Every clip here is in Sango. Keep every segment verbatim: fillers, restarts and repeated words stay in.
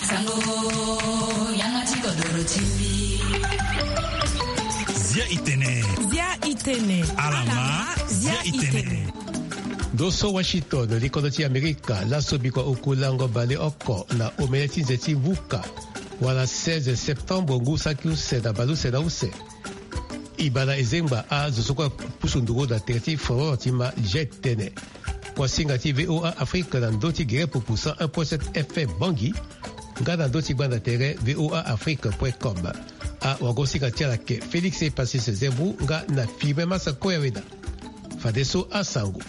Sango, yanga ti kodoro ti mbi. Zia i tene. Zia i tene. Ala ma, zia i tene. Ndo so Washington, likondo ti Amerika, laso bikua oku lango baleoko na omene ti nze ti vuka, wala seize septembre ngu saki use na baleuse na use. E baa na e zengba azo so kue apusu nduru na tere ti folon ti ma zia e tene. Kuasinga ti V O A Afrique na ndö ti gere pupu cent un point sept F M Bangui, nga na ndö ti gbanda tere V O A Afrique point com. Awagosinga ti ala ayeke Félix Epasis Zembu nga na Firmin Massakoya Weda. Fadeso asango.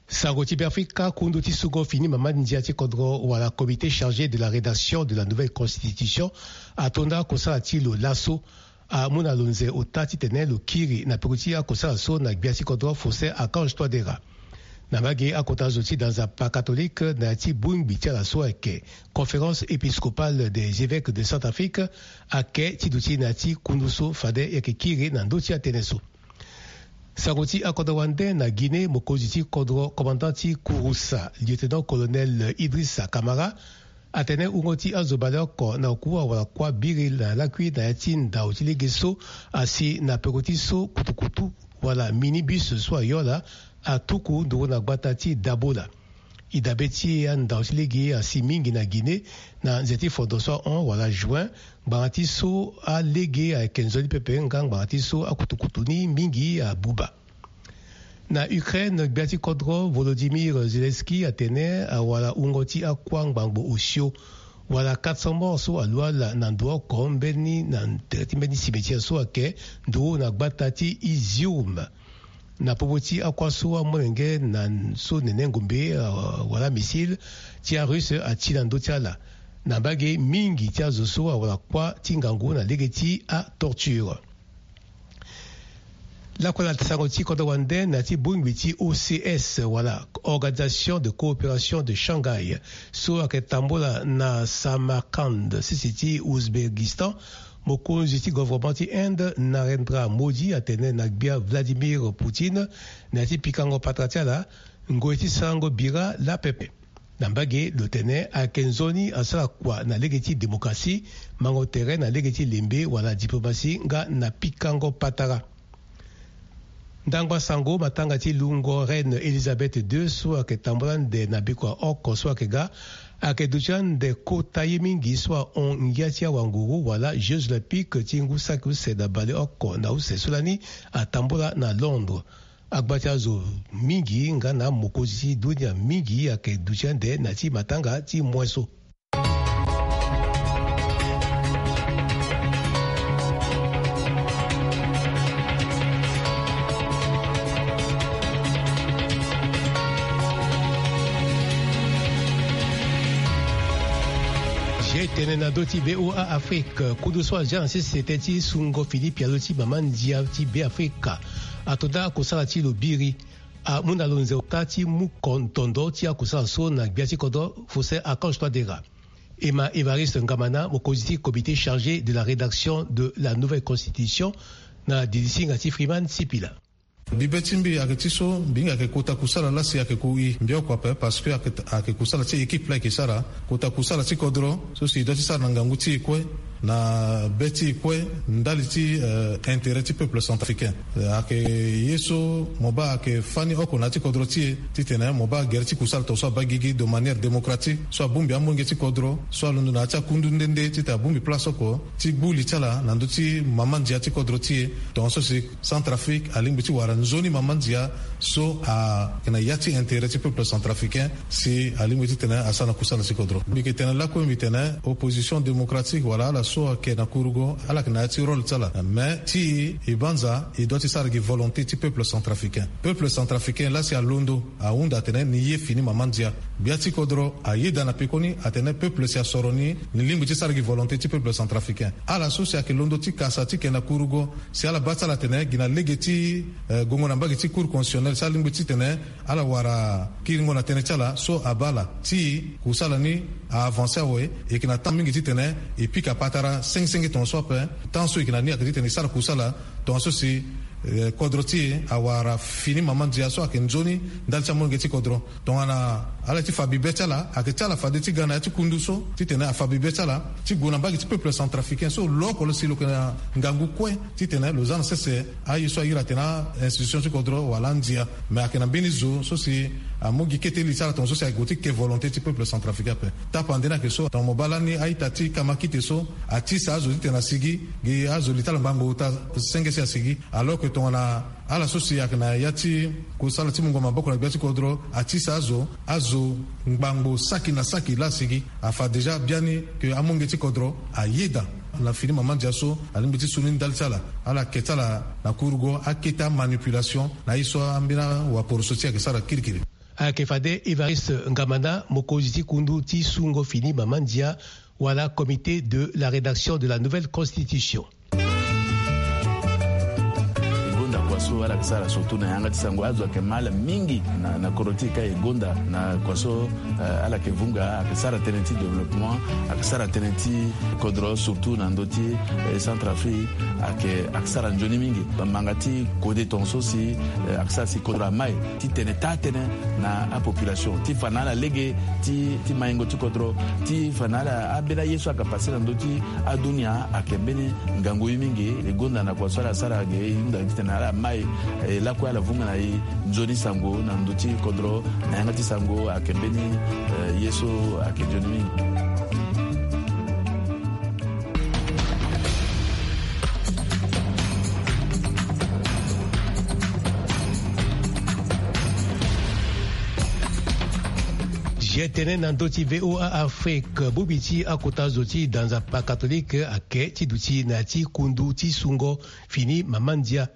Sango ti Beafrika, kundu ti sungo fini mama ndia ti kodro wala comité chargé de la rédaction de la nouvelle constitution atonda kosala ti lo laso, amu na lo nze ota titene lo kiri na peko ti akosala so na gbia ti kodro Faustin Archange Touadéra. Na mbage akota zo ti da nzapa catholique na ya ti bongbi ti ala so ayeke Conférence épiscopale des évêques de Centrafrique, ayeke ti duti na ya ti kundu so fade e yeke kiri na ndö ti atënë so. Sango ti akodro wande na Guinée, mokonzi ti kodro, commandant ti kurusa, lieutenant-colonel Idrissa Camara, atene wungo ti azo baleoko na oku awara kuâ biri na lakui na ya ti ndau ti lege so asi na peko ti so kutukutu wala minibus so ayola atuku nduru na gbata ti Dabola. E dabe ti andau ti lege asi mingi na Guinée na nze ti fondo so ahon wala juin, ngbanga ti so alege ayeke nzoni pepe nga ngbanga ti so akutukutu ni mingi abuba. Na Ukraine, gbia ti kodro Volodymyr Zelensky atene awara wungo ti akuâ ngbangbo osio wala quatre cents morts so alu ala na ndo oko mbeni na tere ti mbeni cimetière so ayeke nduru na gbata ti Izium. Na popo ti akuâ so amolenge na so nene ngombe, euh, wala missile ti arusse ati na ndö ti ala. Na mbage mingi ti azo so awara kuâ ti ngangu na lege ti atorture. Lakue na sango ti kodro wande na ya ti bongbi ti O C S wala Organisation de coopération de Shanghai so ayeke tambola na Samarkand, sese ti Ouzbékistan, mokonzi ti gouvernement ti Inde, Narendra Modi, atene na gbia Vladimir Poutine na ya ti pikango patara ti ala ngoi ti sarango bira lapepe. Na mbage lo tene ayeke nzoni asara kua na lege ti démocratie, mango tere na lege ti lembe wala diplomatie nga na pikango patara. Ndangba sango, matanga ti lungo Reine Elisabeth deux so ayeke tambola ande na bikua oko so ayeke ga, ayeke duti ande kota ye mingi so ahon ngia ti awanguru wala Jeux Olympiques ti ngu saki use na baleoko na use so lani atambola na Londres. Agba ti azo mingi nga na mokonzi ti dunia mingi ayeke duti ande na ya ti matanga ti moin so. Zia e tene na ndö ti V O A Afrique, kundu so azia na sese tënë ti sungo fini pialo ti mama ndia ti Beafrika atonda kosala ti lo biri. Amu na lo nze ota ti mu kontondo ti akosala so na gbia ti kodro Faustin Archange Touadéra. E ma Évariste Ngamana, mokonzi ti comité chargé de la rédaction de la nouvelle constitution, na dilisinga ti Freeman Sipila. Mbi be ti mbi ayeke ti so mbi hinga ayeke kota kusala laa si ayeke ku i mbi oko ape, parce que ayeke, ayeke kusala ti équipe laa e yeke sara. Kota kusala ti kodro so si e doit ti sara na ngangu ti e kue, na be ti e kue, ndali ti, euh, intérêt ti peuple centrafricain. Euh, ayeke ye so mo baa ayeke fani oko na ya ti kodro ti e, titene mo baa gere ti kusala tongaso abaa gigi de manière démocratique, so abongbi amolenge ti kodro, so alondo na ya ti akundu nde nde titene abongbi place oko ti gbu li ti ala na ndö ti mama ndia ti kodro ti e, tongaso si Centrafrique alingbi ti wara nzoni mama ndia so ayeke na ya ti intérêt ti peuple centrafricain, si alingbi titene asara na kusala ti kodro. Mbi yeke tene lakue mbi tene opposition démocratique wala ala so ayeke na kurugo, ala yeke na ya ti rôle ti ala. Mais ti e, e banza, e doit ti sara gi volonté ti peuple centrafricain. Peuple centrafricain laa si alondo, ahunda atene ni ye fini mama ndia. Gbia ti kodro ayeda na pekoni atene peuple si asoro ni, ni lingbi ti sara gi volonté ti peuple centrafricain. Ala so si ayeke londo ti kasa ti yeke na kurugo, si ala baa ti ala atene gi na lege ti, eh, gongo na mbage ti Cour constitutionnelle, si alingbi titene ala wara kiringo na tënë ti ala, so abaa ala. Ti kusala ni a avancer awe, e yeke na temps mingi titene e pika patara sengi sengi tongaso ape. Temps so e yeke na ni ayeke titene e sara kusala tongaso si Eh, kodro ti e awara fini mama ndia so ayeke nzoni ndali ti amolenge ti kodro. Tongana ala ye ti fa bibe ti ala, ayeke ti ala fade ti ga na ya ti kundu so titene afa bibe ti ala ti gue na mbage ti peuple centrafricain so lo oko lo si lo yeke na ngangu kue titene lo za na sese aye so ahiri atene a-institution ti kodro wala andia. Me ayeke na mbeni zo so si amu gi kete li ti ala tongaso si ague ti ke volonté ti peuple centrafricain ape. Tapande ni ayeke so tongana mo baa lani a-ita ti kamakite so atisa azo titene asigi gi azo li ti ala ngbangbo ota senge si asigi. Alors que tongana ala so si ayeke na ya ti kusala ti mungo maboko na gbia ti kodro atisa azo, azo ngbangbo saki na saki laa asigi. Afa déjà biani ke amolenge ti kodro ayeda na fini mama ndia so alingbi ti su ni ndali ti ala. Ala yeke ti ala na kurugo akete amanipulation na ye so ambeni awaporo so ti e ayeke sara kirikiri. Ayeke fade Évariste Ngamana, mokonzi ti kundu ti sungo fini mama ndia wala comité de la rédaction de la nouvelle constitution. E gonda kua so ala yeke sara surtout na yanga ti sango, azo ayeke ma ala mingi na, na kodro ti e ka e gonda na kua so, eh, ala yeke vunga, ayeke sara tënë ti développement, ayeke sara tënë ti kodro surtout na ndö ti, eh, Centrafrique, ayeke, ayeke sara nzoni mingi. Bamanga ti kode tongaso si, eh, ayeke sara si kodro ama e titene taa tënë na apopulation ti fa na ala lege ti, ti maingo ti kodro, ti fa na ala ambeni aye so ayeke pase na ndö ti adunia ayeke mbeni ngangu ye mingi. E gonda na kua so ala sara ge e hunda titene ala ma e, e lakue ala vunga na e nzoni sango na ndö ti kodro na yanga ti sango ayeke mbeni, eh, ye so ayeke nzoni mingi. Zia tënë na ndö ti V O A Afrique, bongbi ti akota zo ti da nzapa katolike ayeke ti duti na ya ti kundu ti sungo fini mama ndia.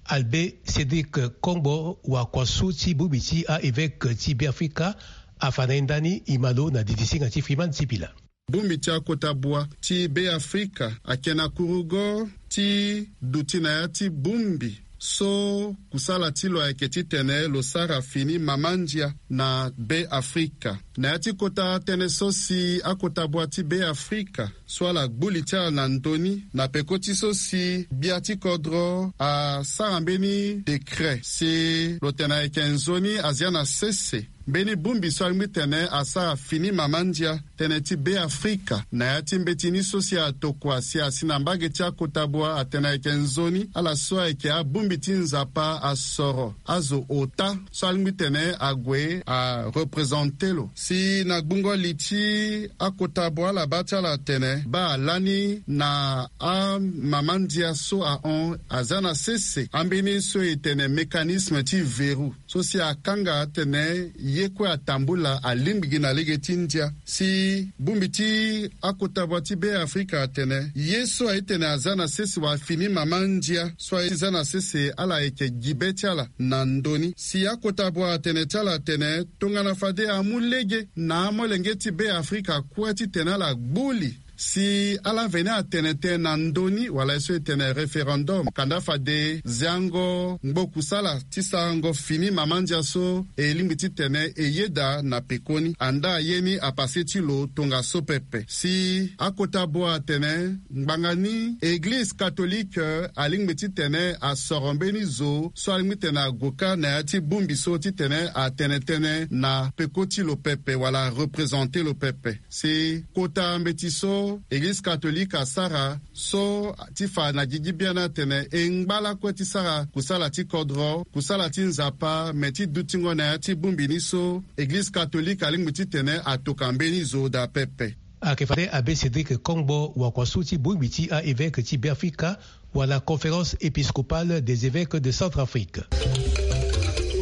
Albert Cédric Kongbo, wakuasu ti bongbi ti a-évêque ti Beafrika, afa na e ndani e ma lo na didisinga ti Freeman Sipila. Bongbi ti akota bua ti Beafrika ayeke na kurugo ti duti na ya ti bongbi so kusala ti lo ayeke titene lo sara fini mama ndia na Beafrika. Na ya ti kota tënë so si akota bua ti Beafrika so ala gbu li ti ala na ndö ni na peko ti so si gbia ti kodro asara mbeni décret si lo tene ayeke nzoni azia na sese mbeni bongbi so alingbi tene asara fini mama ndia tënë ti Beafrika na ya ti mbeti ni so si atokua si asi na mbage ti akota bua atene ayeke nzoni ala so ayeke abongbi ti Nzapa asoro azo ota so alingbi tene ague arepresente lo. Si na gbungo li ti akota bua ala baa ti ala atene baa lani na amama ndia so ahon aza na sese ambeni so e tene mécanisme ti verrou so si akanga atene ye kue atambula alingbi gi na lege ti ndia. Si bongbi ti akota bua ti Beafrika atene ye so aye tene aza na sese wala fini mama ndia so aye ti za na sese ala yeke gi be ti ala na ndö ni. Si akota bua atene ti ala atene tongana fade amu lege na amolenge ti Beafrika kue titene ala gbu li si ala veni atene tënë na ndö ni wala ye so e tene référendum. Kanda fade ziango ngbo kusala ti sarango fini mama ndia so e lingbi titene e yeda na pekoni. Andaa ye ni apase ti lo tongaso pepe. Si akota bua atene ngbanga ni Eglize katolike alingbi titene asoro mbeni zo so alingbi titene ague kâ na ya ti bongbi so titene atene tënë na peko ti lo pepe wala arepresente lo pepe. Si kota mbeti so Eglize katolike asara so ti fa na gigi biani atene e ngba lakue ti sara kusala ti kodro, kusala ti Nzapa, me ti dutingo na ya ti bongbi ni so Eglize katolike alingbi titene atoka mbeni zo daa pepe. Ayeke fade Abbé Cédric Kongbo, wakuasu ti bongbi ti a-évêque ti Beafrika, wala Conférence épiscopale des évêques de Centrafrique.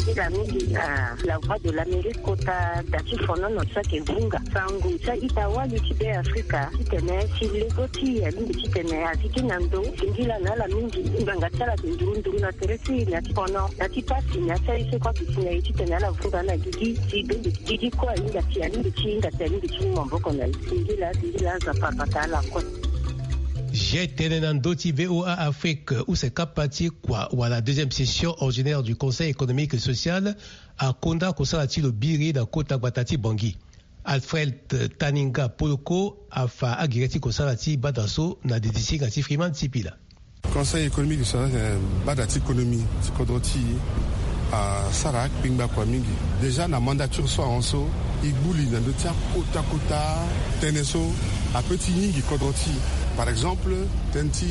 Nzila mingi na La Voix de l'Amérique kota da ti fonono so ayeke vunga sango ti a-ita wali ti Beafrika titene si lego ti e alingbi titene azi gi na ndo. Singila na ala mingi ngbanga ti ala ayeke nduru nduru na tere ti e na ya ti fono na ya ti pasi na ya ti aye so kue aduti na e titene ala vunga na gigi si bembe gigi kue ahinga ti alingbi ti hinga ti alingbi ti mu maboko na e. Singila singila Nzapa abata ala kue. Zia tënë na ndö ti V O A Afrique, use kapa ti kua wala deuxième session ordinaire du Conseil économique et social akonda kosala ti lo biri na kota gbata ti Bangui. Alfred Taninga Poloko afa agere ti kosala ti bata so na didisinga ti Freeman Sipila. Conseil économique, so na bada ti économie ti kodro ti asara akpingba kua mingi. Déjà na mandature so ahon so, e gbu li na ndö ti akota kota tënë so ape ti yingi kodro ti, par exemple, tënë ti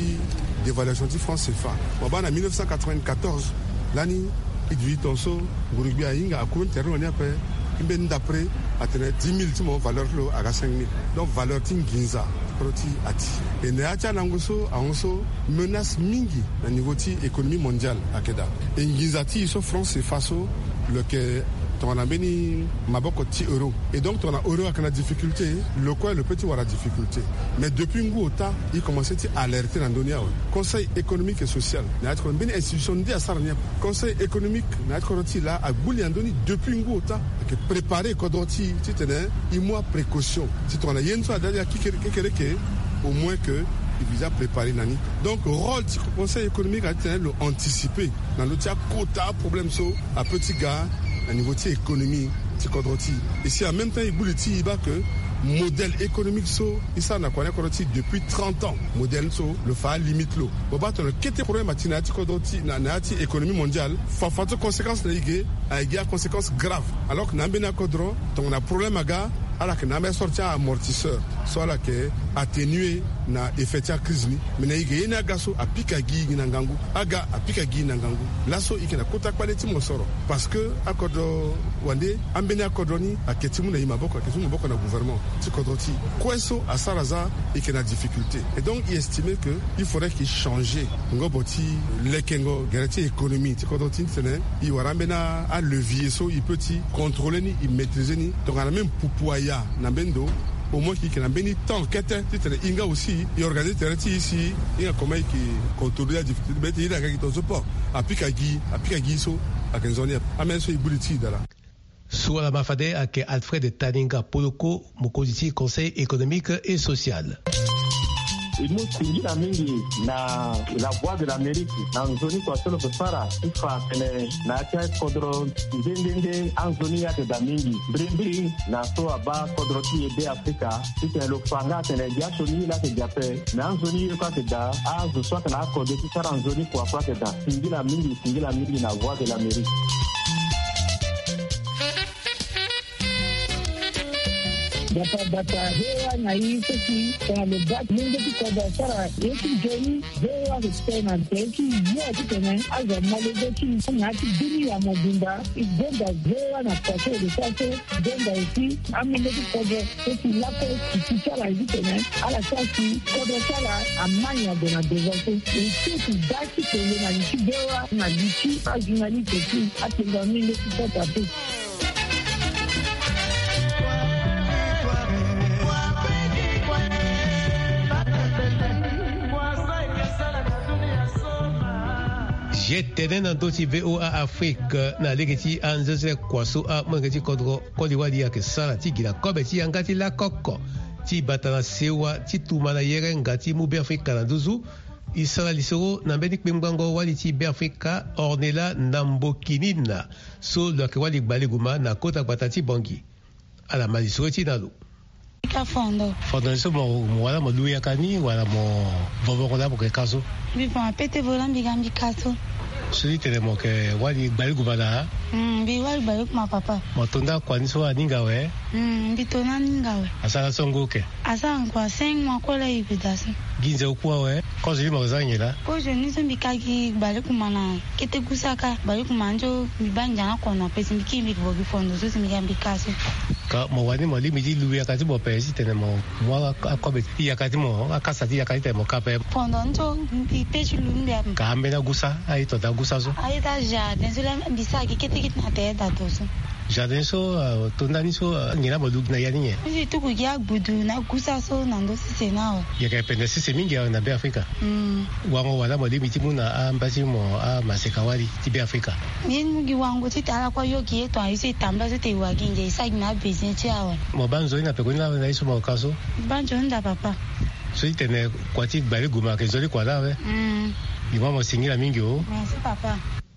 dévaluation ti France CFA. Mo baa na mille neuf cent quatre-vingt-quatorze, lani, e duti tongaso nguru-gbia ahinga akuru ni tere ni wani ape. Mbeni ndapre atene dix mille ti mo, valeur ti lo aga cinq mille. Donc valeur ti nginza ti kodro ti ati. E na ya ti anango so ahon so, menace mingi na niveau ti économie mondiale ayeke daa. E nginza ti e so France CFA so, lo yeke tongana mbeni maboko ti euro. Et donc tongana euro ayeke na difficulté, lo kue lo peut ti wara difficulté. Mais depuis ngu ota, e commencé ti alerter na ndö ni awe. Conseil économique et social na ya ti kodro, mbeni institution nde asara ni ape. Conseil économique na ya ti kodro ti e laa agbu li na ndö ni depuis ngu ota. Ayeke préparer kodro ti e titene e mu aprécaution. Si tongana ye ni so ada ya kekere, kekereke, au moins que e visa préparer na ni. Donc rôle ti conseil économique aye titene lo anticiper na ndö ti akota problème so apeut ti ga na niveau ti économie ti kodro ti e. Et si en même temps e gbu li ti e baa que modèle économique so e sara na kua ni akodro ti e depuis trente ans, modèle ni so lo fa alimite lo. Mo baa tongana kete problème ati na ya ti kodro ti, na, na ya ti économie mondiale, fafa ti conséquence na e ge, ayeke gi aconséquence grave. Alors que na ambeni akodro, tongana problème aga, ala yeke na ambeni sorte ti amortisseur so ala yeke atténuer na effet ti acrise ni. Mais na e ge, ye ni aga so apika gi e na ngangu. Aga apika gi e na ngangu. Laso e yeke na kota kpale ti mosoro. Parce que akodro wande, ambeni akodro ni ayeke ti mu na e maboko, ayeke ti mu maboko na gouvernement ti kodro ti e. Kue so asara za, e yeke na difficulté. Et donc e estimer que il faudrait que e changer ngobo ti lekengo gere ti économie ti kodro ti e titene e wara ambeni alevier so e peut ti contrôler ni, e maîtriser ni. Tongana même pupu aya na mbeni ndo, au moins que e yeke na mbeni temps kete titene e nga aussi e organiser tere ti e si e hinga comment e yeke contrôler adifficulté ti be ti e. Iri aga gi tongaso port apika gi, apika gi so ayeke nzoni ape. Ambeni so e gbu li ti e daa laa. So ala ma fade ayeke Alfred Taninga Poloko, mokonzi ti Conseil économique et social. E mu singila mingi na La Voix de l'Amérique na nzoni kua so lo yeke sara ti fa atene na ya ti akodro nde nde nde anzoni ye ayeke daa mingi. Mbirimbiri na so abaa kodro ti e Be Afrika, titene lo fa nga atene gi asioni ye laa ayeke gi ape, me anzoni ye kue ayeke daa. Azo so ayeke na akode ti sara nzoni kua kue ayeke daa. Singila mingi, singila mingi na Voix de l'Amérique. Bata bata, he wa na i seki tongana lo baa ti mungo ti kodro asara ye ti nzoni. Ve wa respect na tere ti yo titene azo amolenge ti na ya ti bini ya mobimba. E gonda ve wa na kua so e lo sara so. Gonda aussi amolenge ti kodro so si lakue si ti ti ala ye titene ala sara si kodro ti ala amai na gue na devant so. E so si da ti tene na li ti ve wa na li ti ajournaliste ti atenga amolenge ti kota pe. Ye tene na ndö ti V O A Afrique na lege ti anzezele kua so amolenge ti kodro koli wali ayeke sara ti gi na kobe ti yanga ti lakoko ti bata na sewa ti tuma na yerenga ti mu Beafrika na nduzu. E sara lisoro na mbeni kpengbango wali ti Beafrika Ornella Nambokinina so lo yeke wali gbaleguma na kota gbata ti Bangui. Ala ma lisoro ti na lo. Ka fondo. Fondo ni so mo, mo wala mo lu yaka ni wala mo vovongo laa mo yeke ka so? Mbi fa ma pete vo laa mbi ga mbi ka so. So ti tene mo yeke wali gbaleguma na? Mm, mbi wali gbaleguma papa. Mo to nda kua ni so aninga awe? Mm, mbi to ni aninga awe. Asara so ngu oke? Asara ngu a cinq mois kue laa e gue daa so. Gi nze oku awe? Kozo ni mo yeke za nyen laa? Kozo ni so mbi ka gi gbaleguma na kete gusa ka, gbaleguma nzo mbi baa ndia na kono ape si mbi kiri mbi yeke vo gi fondo so si mbi ga mbi ka so. Ka mo wani mo lingbi ti lu yaka ti mo ape si tene mo mu a, akobe ti yaka ti mo, akasa ti yaka ti tene mo ka ape? Fondo ni so mbi pe ti lu ni mbi ape. Ka ambeni agusa, aye to daa gusa so? Aye daa jardin so laa mbi sara gi kete kete na tere daa to so. Jardin so, ah, to ndani so, ah, nyen laa mo lu gi na ya ni nyen? Mbi si tuku gi agbudu na agusa so na ndö sese ni awe. Yeke pende sese mingi awe na Beafrika. Mm. Wango wala mo lingbi ti mu na amba ti mo amaseka wali ti Beafrika? Mbi mu gi wango ti tene ala kue ayo gi ye tongana ye so e tambula so tene e wa gi ndia e sara gi na abesoin ti e awe. Mo baa nzoni na pekoni laa na ye so mo ka so? Mbi baa nzoni daa papa. So ti tene kua ti gbaleguma ayeke nzoni kua laa awe? Mm. Mbi ma mo singila mingi o. Merci papa.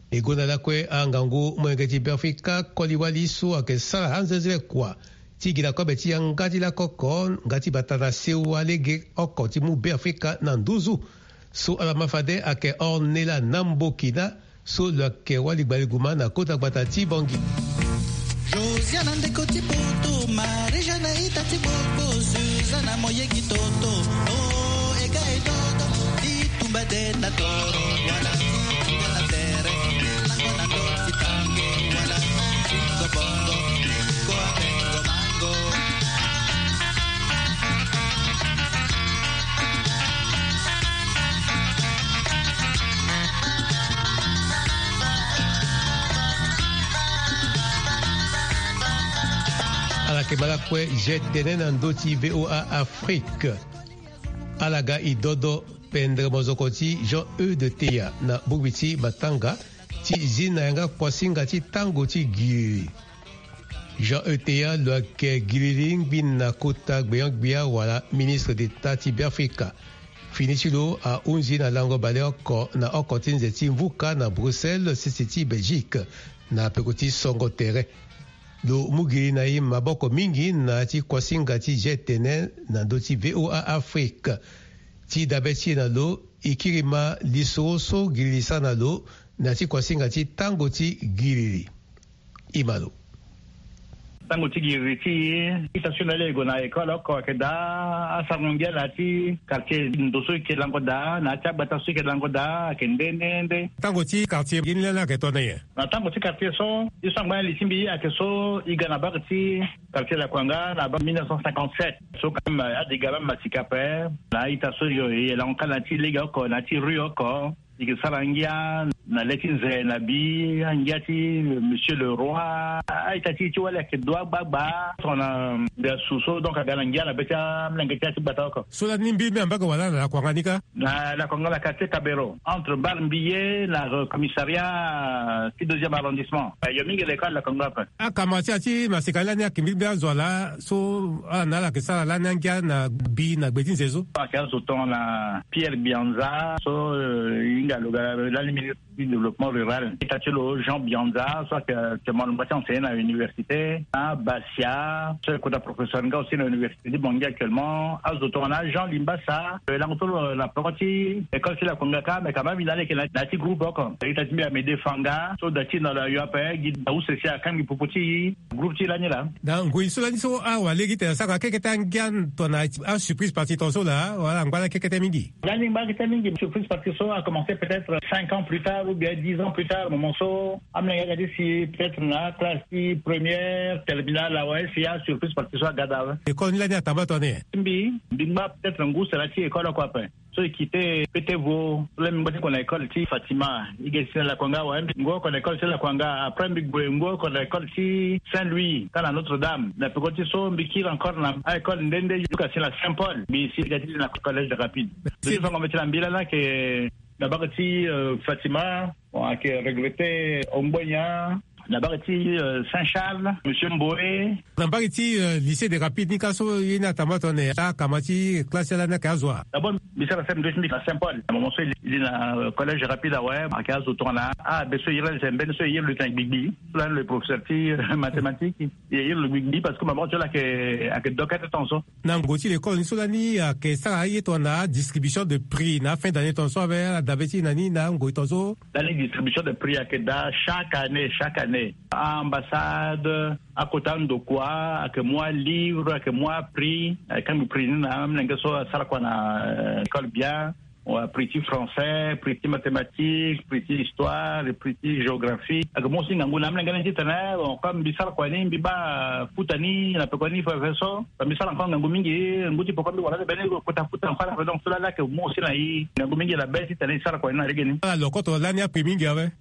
E gonda lakue angangu molenge ti Beafrika koli wali so ayeke sara anzezele kua ti gi na kobe ti yanga ti lakoko nga ti bata na sewa lege oko ti mu Beafrika na nduzu. So ala ma fade ayeke Ornella Nambokina, so lo yeke wali gbaliguma na kota gbata ti Bangui. Josiana ndeko ti poto, Marie-Jeanne ita ti boko, Suzana moyegi toto, o ega e dodo, ti tumba de na toro, wala ti tumba na tere, lango na ndo ti tango, wala ti tumba bongo, ko abengo mango. Ala yeke ma lakue je tene na ndö ti V O A Afrique. Ala ga e dodo pendere mozoko ti Jean Eude Teya na bongbi ti matanga ti zi na yanga kuasinga ti tango ti giri. Jean Eude Teya lo yeke gilili ngbi na kota gbenyo-gbia wala ministre d'État ti Beafrika. Fini ti lo ahunzi na lango baleoko na oko ti nze ti mvuka na Bruxelles, sese ti Belgique, na peko ti songo tere. Lo mu gilili na e maboko mingi na ya ti kuasinga ti je tene na ndö ti V O A Afrique. Ti dabe ti e na lo, e kiri ma lisoro so gilili sara na lo na ya ti kuasinga ti tango ti gilili. E ma lo. Tango ti giri ti e, ita so na ala e gue na école oko ayeke daa asarango ngia na ya ti quartier ndo so e ke lango daa, na ya ti agbata so e ke lango daa, ayeke nde nde nde. Tango ti quartier gi ni lani ayeke tongana nyen? Na tango ti quartier so, e so angba na li ti mbi ayeke so e ga na bak ti quartier Lakuanga na bak mille neuf cent cinquante-sept. So quand même, ade ga même masika ape, na ita so e, e lango kâ na ya ti lege oko, na ya ti rue oko. E ke sara ngia na le ti nze na bi, angia ti Monsieur le Roi. A-ita ti e ti wali ayeke dua gbagba. Tongana mbi asu so, donc aga na ngia na be ti amolenge ti ya ti gbata oko. So lani mbiri mbi ambaka wala na Lakuanga ni kâ? Na Lakuanga, na quartier Kabero, entre Bar Mbiye na, euh, commissariat ti deuxième arrondissement. Yo mingi Lakuanga, Lakuanga ape. Akama ti ya ti masika lani ayeke mbiri mbi azo ala so ala na ala ayeke sara lani angia na bi na gbe ti nze so. Ayeke azo tongana Pierre Bianza so, euh, e hinga lo ga lani ministre ti développement rural. Ita ti lo Jean Bianza so ayeke actuellement lo ngba ti enseigner na université. Na Basia so ayeke kota professeur nga aussi na université ti Bangui actuellement. Azo tongana Jean Limbasa, euh, lango so lo na peko ti école ti Lakuanga kâ, mais quand même e na ala e yeke na ya ti groupe oko. Ita ti mbi Amédée Fanga so da ti e na lo ayo ape, gi na use si akangbi popo ti e. Groupe ti e lani laa. Na ngoi so lani so awara lege ti tene asara kekete angia tongana asurprise partie tongaso laa, wala angba lani kekete mingi? Lani ngba kete mingi. Surprise partie so a commencé peut-être cinq ans plus tard ou bien dix ans plus tard, moment so amolenge aga ti si peut-être na classe ti première, terminale awe, si asurprise partie so aga daa awe. École ni lani atambula tongana nyen? Mbi, mbi ngba peut-être ngu sara ti école oko ape. So e quitté P T Vo, so lani mbi ngba ti gue na école ti Fatima, e ge si na Lakuanga awe. Mbi ngu oko na école ti Lakuanga, après mbi gue ngu oko na école ti Saint-Louis, kâ na Notre-Dame. Na peko ti so mbi kiri encore na a-école nde nde, jusqu'à si na Saint-Paul. Mbi si ga ti na collège de Rapides. Mbi ti fango mbeti na mbi lani ayeke na bak ti, euh, Fatima, bon, ayeke regretté Ongbonia. Na mbage ti, euh, Saint-Charles, Monsieur Mboé. Na mbage ti, euh, lycée des Rapides ni ka so ye ni atambula tongana nyen? Akama ti classe ti ala ni ayeke azo wa? D'abord mbi sara C M deux ti mbi na Saint-Paul. Na moment so e li na, euh, collège Rapides awe, ayeke azo tongana abe so e iri ala ti mbeni so e iri lo tena gbigbi. So lani lo professeur ti, euh, mathématique. E iri lo gbigbi parce que maboko ti lo ayeke, ayeke dokete tongaso. Na ngoi ti l'école ni so lani ayeke sara aye tongana adistribution de prix na afin d'année tongaso awe, ala dabe ti e na ni na ngoi tongaso? Lani distribution de prix ayeke daa chaque année, chaque année. A-ambassade, akota andokua ayeke mu alivre, ayeke mu aprix, ayeke kangbi prix ni na amolenge so asara kua na, euh, école bien. Wa, prix ti français, prix ti mathématique, prix ti histoire, prix ti géographie. Ayeke mu aussi ngangu na amolenge ni titene, bon, comme mbi sara kua ni, mbi baa futa ni na peko ni fadeso. Mbi sara encore ngangu mingi, ngu ti peko mbi wara ni mbeni kota futa encore ape. Donc so lani ayeke mu aussi na e ngangu mingi na be titene e sara kua ni na lege ni. Ala lo koto lani aprix mingi awe.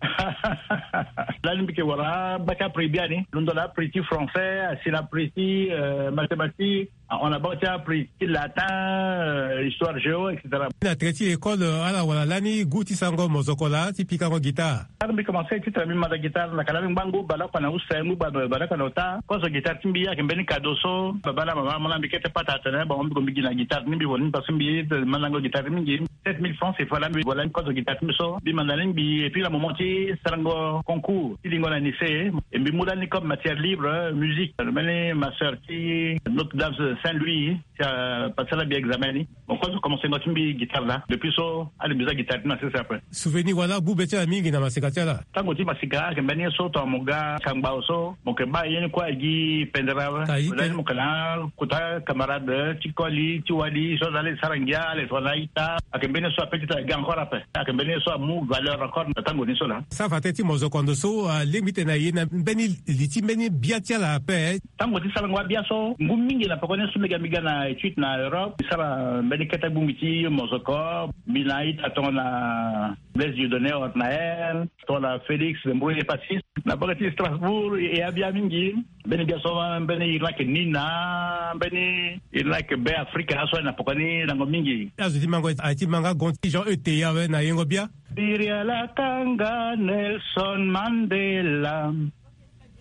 Lani mbi yeke wara baa ti aprix biani. Londo na aprix ti français, asi na aprix ti, euh, mathématique. Ah, on a baa ti aprix ti latin, euh, histoire géo, et cetera. Na tere ti école, euh, ala wara lani goût ti sarango mozoko laa ti pikango guitare? Tara mbi commencé titene mbi manda guitare, na ka laa mbi ngba ngu baleoko na use, ngu ba-, baleoko na ota. Kozo guitare ti mbi ayeke mbeni cadeau so baba na mama amolenge na mbi kete pata atene, bon, mbi gue mbi gi na guitare ti mbi, bon, parce que mbi mandango guitare ti mbi mingi. Sept mille francs, c'est voilà, mbi, voilà, kozo guitare ti mbi so mbi manda ni mbi, et puis na moment ti sarango concours ti lingo na lycée, e mbi mu lani comme matière libre, euh, musique, mbeni master ti Notre Dame Saint-Louis, ti apasala mbi examen ni. Mo kue so commencé ngo ti mbi guitare laa. Depuis so ade mbi za guitare ti na sese ape. Souvenir wala gbu be ti ala mingi na masika ti ala? Tango ti masika ayeke mbeni ye so tongana mo ga kangba so mo yeke baa ye ni kue agi pendere awe. Mo za ni mo yeke na akota camarade ti koli ti wali so aza ala e sara ngia ala e tongana a-ita. Ayeke mbeni ye so ape ti tene aga encore ape. Ayeke mbeni ye so amu valeur encore na tango ni so laa. Sara fade ti mozoko ndo so alingbi ti tene na ye na mbeni li ti mbeni bia ti ala ape. Tango ti sarango abia so ngu mingi na pekoni so mbi ga mbi ga na étude na Europe mbi sara mbeni kete gbongbi ti mozoko. Mbi na a-ita tongana Blaise Dieudonné Ornael, tongana Félix Mbrouille Passis. Na bage ti Strasbourg e abia mingi. Mbeni bia so mbeni iri ni ayeke Nina, mbeni iri ni ayeke Be Afrika so aye na pekoni lango mingi. Azo ti mango aye ti ma nga gon ti Jean E Teya awe na yengo bia. Biriala kanga Nelson Mandela.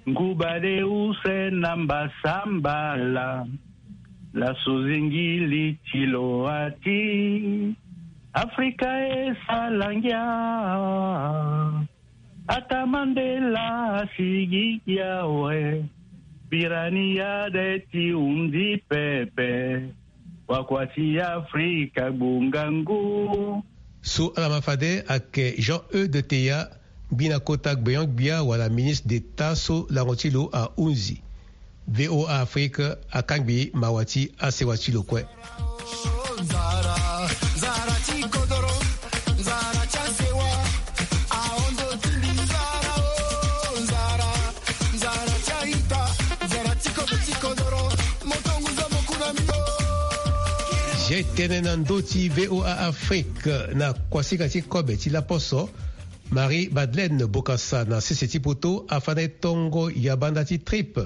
Nguba de use na mbasambala. Laso zingili ti lo ati. Afrika e sala ngia. Ata Mandela asigi gi awe. Birani ya de ti hundi pepe. Wakua ti Afrika gbonga ngu. So ala ma fade ayeke Jean E de Teya, ngbina kota gbenyo-gbia wala ministre d'État so lango ti lo ahunzi. V O A Afrique akangbi mawa ti asewa ti lo kue. Ye tene na ndö ti V O A Afrique na kuasinga ti kobe ti laposo. Marie Madeleine Bokassa na sese ti poto afa na e tongo ya banda ti trip.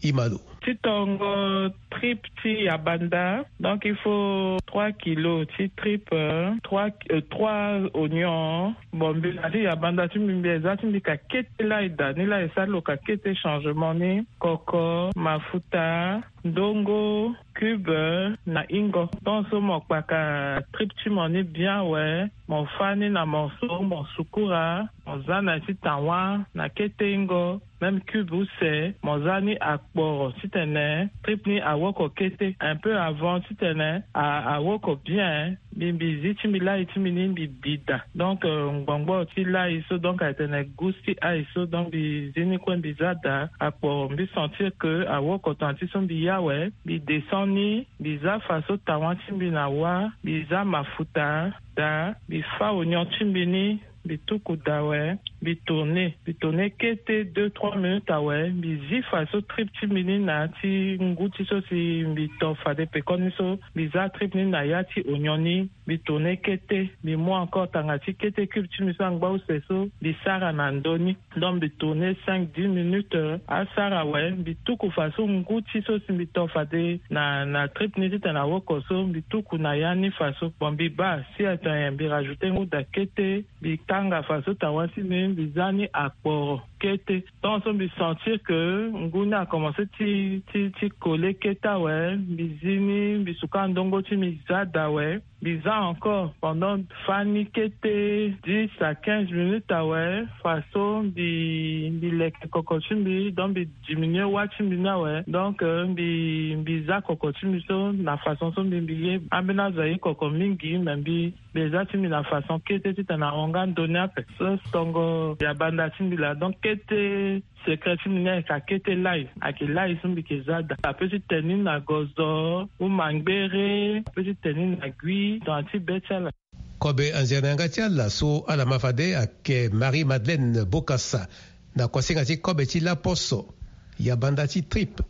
Imalo. Ti tongo trip ti ya banda, donc il faut trois kilos ti trip, euh, trois, euh, trois oignons. Bon, mbi na ti ya banda ti mbi, mbi eza ti mbi ka kete lai da ni lai e sara lo ka kete changement ni. Koko, mafuta, ndongo, cube na ingo. Tant so mo kpaka trip ti mo ni bien awe, mo fa ni na morceau, mo sukura, mo za na ya ti tawa na kete ingo. Même cube use mo za ni akporo titene trip ni awoko kete un peu avant titene a, awoko bien. Mbi, mbi zi ti mbi lai ti mbi ni mbi bi da. Donc, euh, ngbongboro ti lai so, donc, ayeke tene gus ti ai so, donc, mbi zi ni kue mbi za da. Akporo mbi sentir que awoko tongana ti so mbi ya awe, mbi descend ni, mbi za faso tawa ti mbi na wa, mbi za mafuta da, mbi fa oignon ti mbi ni, mbi tuku da awe, mbi tourner, mbi tourner kete deux, trois minutes awe, mbi zi faso trip ti mbi ni na ya ti ngu ti so si mbi to fade pekoni so, mbi za trip ni na ya ti oignon ni, mbi tourner kete, mbi mu encore tanga ti kete cube ti mbi so angba use so, mbi sara na ndö ni. Donc mbi tourner cinq, dix minutes, euh, asara awe, mbi tuku faso ngu ti so si mbi to fade na, na trip ni titene awoko so, mbi tuku na ya ni faso. Bon, mbi baa si ato nyen, mbi rajouter ngu da kete, mbi kanga faso tawa ti mbi, mbi za ni akporo kete. Tant so mbi sentir que ngu ni akomense ti, ti, ti coller kete awe, mbi zi ni, mbi suka ndongo ti mbi za da awe. Mbi za encore pendant fani kete dix à quinze minutes awe, faso mbi, mbi leke koko ti mbi, donc mbi diminuer wa ti mbi ni awe. Donc, euh, mbi, mbi za koko ti mbi so na façon so mbi, mbi ye. Ambeni azo aye koko mingi, mais mbi, mbi eza ti mbi na façon kete titene ahon nga ndö ni ape. So tongo ya banda ti mbi laa, donc kete secret ti mbi ni ayeke akete lai, ayeke lai so mbi yeke za da. Ape ti tene ni na gozo, ou mangbere, ape ti tene ni na gui, tongana ti be ti ala. Kobe anzere na yanga ti ala so ala ma fade ayeke Marie Madeleine Bokassa na kuasinga ti kobe ti laposo ya banda ti trip.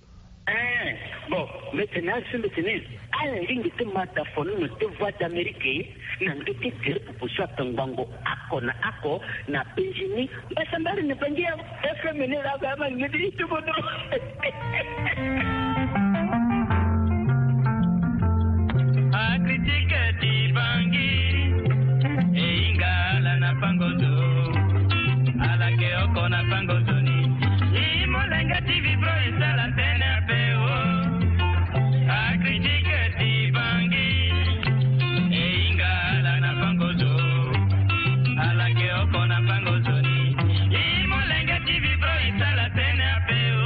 Eh, bon, mbi tene asi mbi tene, ala lingbi ti ma da fono na te Voix d'Amérique na ndö ti gere popo so atongbango oko na oko na penzi ni. Mbasambara na Bangi ya F M ni la ba ma ni ti bodo. Akritike ti Bangi, e hinga ala na pango zo, ala ke oko na pango zo ni. I molenge ti vibro e sala tene ape o. Akritike ti Bangi, e hinga ala na pango zo, ala ke oko na pango zo ni. I molenge ti vibro e sala tene ape o.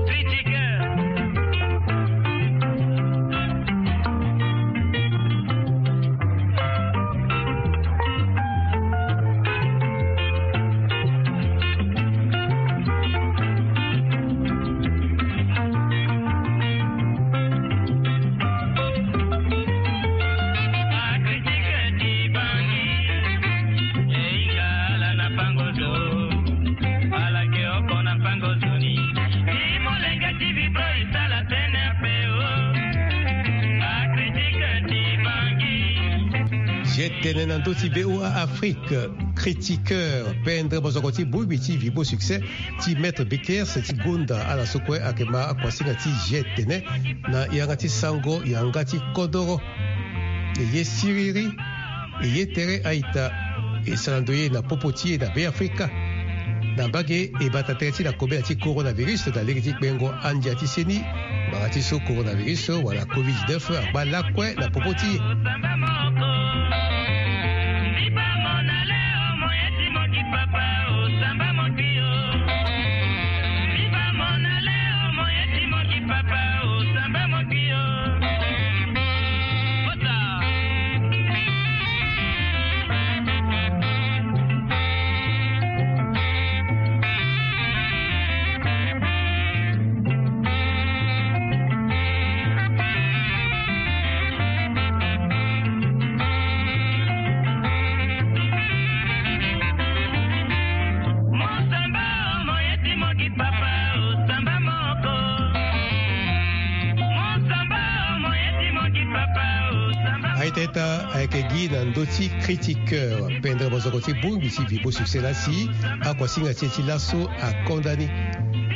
Critiqueur. Tene na ndö ti B O A Afrique, critiqueur, pendre mozoko ti bongbi ti Vibo Succès ti Maître Bekers ti gonda ala so kue ayeke ma akuasinga ti G tene na yanga ti sango yanga ti kodoro. E ye siriri, e ye tere a-ita, e sara ndo ye na popo ti e na Beafrika. Na mbage e bata tere ti na kobela ti coronavirus na lege ti kpengo andia ti seni, ngbanga ti so coronavirus wala covid dix-neuf angba lakue na popo ti e. Aita ita ayeke gi na ndö ti critiqueur, pendre mozoko ti bongbi ti Vibo Succès la si akuasinga ti e ti laso akonda ni.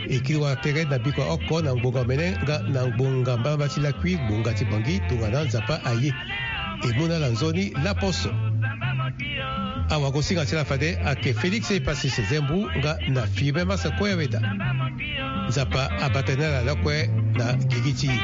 E kiri wara tere na bikua oko na ngbonga omene nga na ngbonga mbamba ti lakui ngbonga ti Bangui tongana Nzapa aye. E mu na ala nzoni laposo. Awagosinga ti ala fade ayeke Félix Epasis Zembu nga na Firmin Massa Koyaweda. Nzapa abata ni ala lakue na gigi ti e.